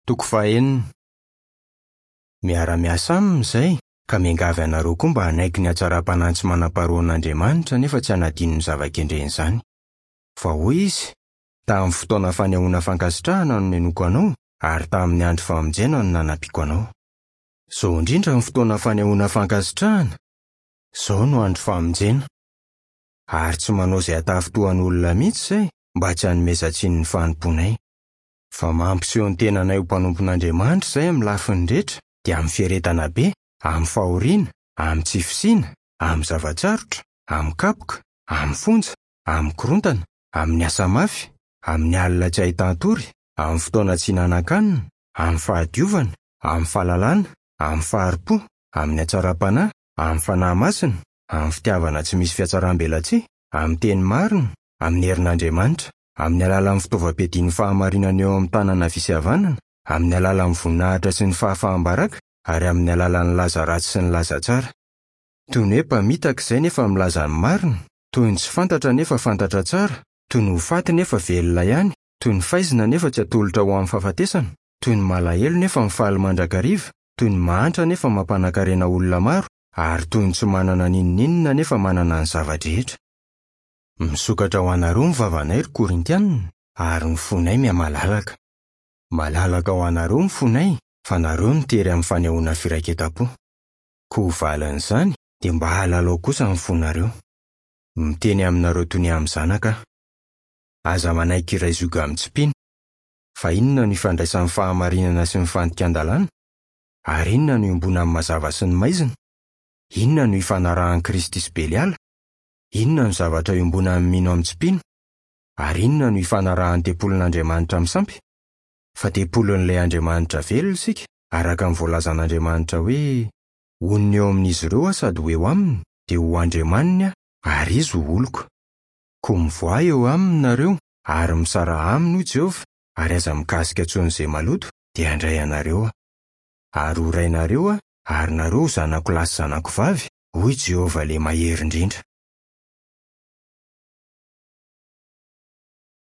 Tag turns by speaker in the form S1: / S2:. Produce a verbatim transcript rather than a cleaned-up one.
S1: Toko fahenina. Miara-miasa aminy izay, ka miangavy anareo koa mba hanaiky ny hatsaram-panahy tsy manam-paharoan'Andriamanitra nefa tsy hanadino ny zava-kendreny izany. Fa hoy izy, tamin'ny fotoana fanehoana fankasitrahana no nenoko anao, ary tamin'ny andro famonjena no nanampiako anao. Izao indrindra ny fotoana fanehoana fankasitrahana, izao no andro famonjena. Ary tsy manao izay hatafintohan'olona mihitsy izay mba tsy hanomezan-tsiny ny fanompoanay. Fa mampiseho ny tenanay ho mpanompon'Andriamanitra izay amin'ny lafiny rehetra, dia amin'ny fiaretana be, amin'ny fahoriana, amin'ny tsy fisiana, amin'ny zava-tsarotra, amin'ny kapoka, amin'ny fonja, amin'ny korontana, amin'ny asa mafy, amin'ny alina tsy ahitan-tory, amin'ny fotoana tsy hinanan-kanina, amin'ny fahadiovana, amin'ny fahalalana, amin'ny fahari-po, amin'ny hatsaram-panahy, amin'ny fanahy masina, amin'ny fitiavana tsy misy fihatsaram-belatsihy, amin'ny teny marina, amin'ny herin'Andriamanitra, amin'ny alalan'ny fitaovam-piadian'ny fahamarinana eo amin'ny tanana havia sy havanana, amin'ny alalan'ny voninahitra sy ny fahafaham-baraka, ary amin'ny alalan'ny laza ratsy sy ny laza tsara. Toy ny hoe mpamitaka izay nefa milaza ny marina, toy ny tsy fantatra nefa fantatra tsara, toy ny ho faty nefa velona ihany, toy ny faizina nefa tsy atolotra ho amin'ny fahafatesana, toy ny malahelo nefa mifaly mandrakariva, toy ny mahantra nefa mampanankarena olona maro, ary toy ny tsy manana n'inon'inona nefa manana ny zava-drehetra. Misokatra ho anareo ny vavanay ry Korintianina, ary ny fonay mihamalalaka. Malalaka ho anareo ny fonay, fa nareo no tery amin'ny fanehoana firaiketam-po. Koa ho valin'izany, dia mba halalao kosa ny fonareo. Miteny aminareo toy ny amin'ny zanaka aho. Aza manaiky iray zioga amin'ny tsy mpino. Fa inona no ifandraisan'ny fahamarinana sy ny fandikan-dalàna? Ary inona no iombonan'ny mazava sy ny maizina? Inona no ifanarahan'i Kristy sy Beliala? Inona no zavatra iombonan'ny mino amin'ny tsy mpino? Ary inona no ifanarahan'ny tempolin'Andriamanitra amin'ny sampy? Fa tempolin'ilay Andriamanitra velona isika, araka ny voalazan'Andriamanitra hoe, honina eo amin'izy ireo aho sady ho eo aminy, dia ho Andriamaniny aho, ary izy ho oloko. Koa mivoaha eo aminy nareo, ary misaraha aminy hoy Jehovah, ary aza mikasika intsony izay maloto, dia handray anareo aho. Ary ho rainareo aho, ary nareo ho zanako lahy sy zanako vavy, hoy Jehovah ilay mahery indrindra.